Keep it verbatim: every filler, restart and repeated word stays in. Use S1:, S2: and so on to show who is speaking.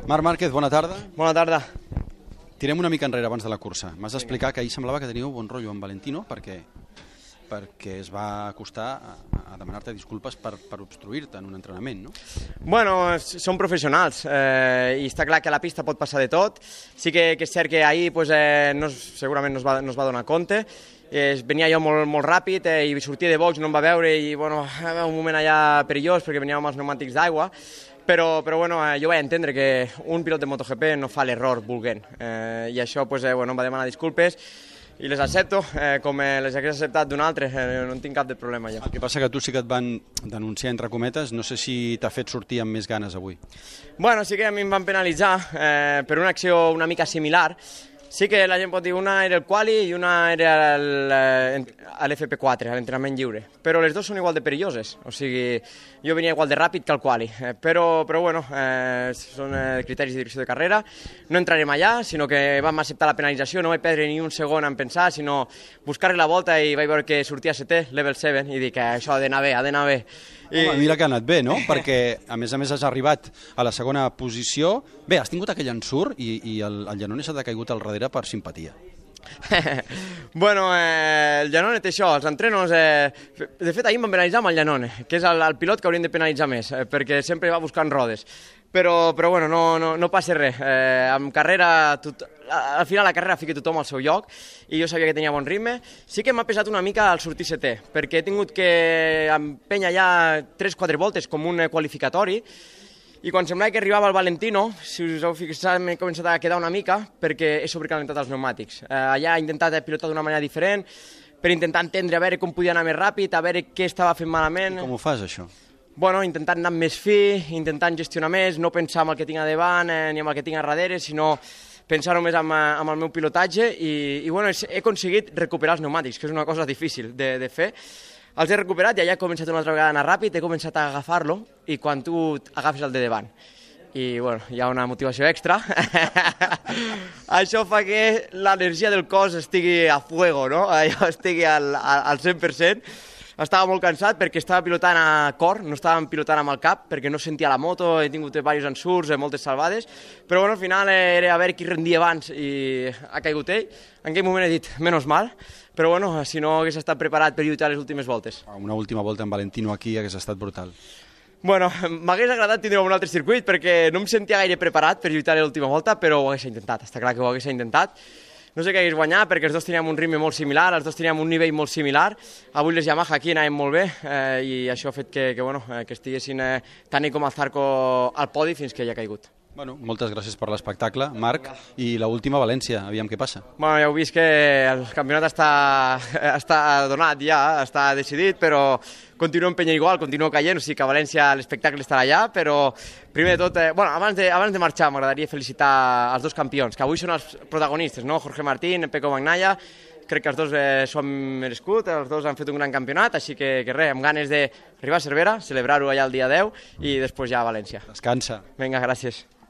S1: Marc Márquez, bona tarda.
S2: Bona tarda.
S1: Tirem una mica enrere abans de la cursa. M'has d'explicar que ahir semblava que teníeu bon rotllo amb Valentino perquè perquè es va acostar a, a demanar-te disculpes per, per obstruir-te en un entrenament, no?
S2: Bueno, són professionals eh, i està clar que a la pista pot passar de tot. Sí que, que és cert que ahir pues, eh, no, segurament no es, va, no es va donar compte. Eh, venia jo molt, molt ràpid eh, i sortia de box, no em va veure i bueno, un moment allà perillós perquè veníem amb els pneumàtics d'aigua. Però, però bueno, eh, jo vaig entendre que un pilot de MotoGP no fa l'error volent eh, i això pues, eh, bueno, em va demanar disculpes i les accepto, eh, com eh, les hagués acceptat d'un altre, eh, no en tinc cap de problema ja.
S1: El que passa que tu sí que et van denunciar entre cometes, no sé si t'ha fet sortir amb més ganes avui.
S2: Bueno, sí que a mi em van penalitzar eh, per una acció una mica similar. Sí que la gent pot dir una era el quali i una era l'F P quatre, l'entrenament lliure, però les dues són igual de perilloses, o sigui, jo venia igual de ràpid que el quali, eh, però, però bueno, eh, són eh, criteris de direcció de carrera, no entrarem allà, sinó que vam acceptar la penalització, no vaig perdre ni un segon en pensar, sinó buscar-li la volta i vaig veure que sortia setè, level set, i dic que això ha d'anar bé, ha d'anar bé.
S1: I... Home, mira que ha anat bé, no? Perquè, a més a més, has arribat a la segona posició. Bé, has tingut aquell ensurt i, i el, el Giannone s'ha caigut al darrere per simpatia.
S2: Bueno, eh, el Giannone té això, els entrenos... Eh, de fet, ahir em van penalitzar amb el Giannone, que és el, el pilot que haurien de penalitzar més, eh, perquè sempre va buscant rodes. Però, però bueno, no, no, no passa res. Eh, en carrera, tot, al final la carrera fica tothom al seu lloc i jo sabia que tenia bon ritme. Sí que m'ha pesat una mica el sortir setè, perquè he tingut que empènyer ja tres quatre voltes com un qualificatori i quan semblava que arribava el Valentino, si us heu fixat, m'he començat a quedar una mica perquè he sobrecalentat els pneumàtics. Eh, allà he intentat pilotar d'una manera diferent per intentar entendre a veure com podia anar més ràpid, a veure què estava fent malament.
S1: I com ho fas, això?
S2: Bueno, intentant anar més fi, intentant gestionar més, no pensar en el que tinc a davant eh, ni en el que tinc a darrere, sinó pensar només en, en el meu pilotatge i, i bueno, he aconseguit recuperar els pneumàtics, que és una cosa difícil de, de fer. Els he recuperat i allà he començat una altra vegada a anar ràpid, he començat a agafar-lo i quan tu agafes el de davant i bueno, hi ha una motivació extra, això fa que l'energia del cos estigui a fuego, no? Allò estigui al, al cent per cent. Estava molt cansat perquè estava pilotant a cor, no estàvem pilotant amb el cap perquè no sentia la moto, he tingut diversos ensurts, moltes salvades, però bueno, al final era a veure qui rendia abans i ha caigut ell. En aquell moment he dit, menys mal, però bueno, si no hagués estat preparat per lluitar les últimes voltes.
S1: Una última volta amb Valentino aquí hagués estat brutal.
S2: Bueno, m'hagués agradat tindre un altre circuit perquè no em sentia gaire preparat per lluitar l'última volta, però ho hagués intentat, està clar que ho hagués intentat. No sé què hagués guanyat perquè els dos teníem un ritme molt similar, els dos teníem un nivell molt similar. Avui les Yamaha aquí anaven molt bé eh, i això ha fet que, que, bueno, eh, que estiguessin eh, tant ell com el Zarco al podi fins que ell ha caigut.
S1: Bueno, moltes gràcies per l'espectacle, Marc, i l'última València, aviam què passa.
S2: Bueno, ja heu vist que el campionat està, està donat ja, està decidit, però continuo empenyent igual, continuo caient, o sigui que a València l'espectacle estarà allà, però primer de tot, eh, bueno, abans de, abans de marxar m'agradaria felicitar els dos campions, que avui són els protagonistes, no? Jorge Martín, Pecco Bagnaia, crec que els dos eh, s'ho han merescut, els dos han fet un gran campionat, així que, que res, amb ganes d'arribar a Cervera, celebrar-ho allà el dia deu i després ja a València.
S1: Descansa.
S2: Vinga, gràcies.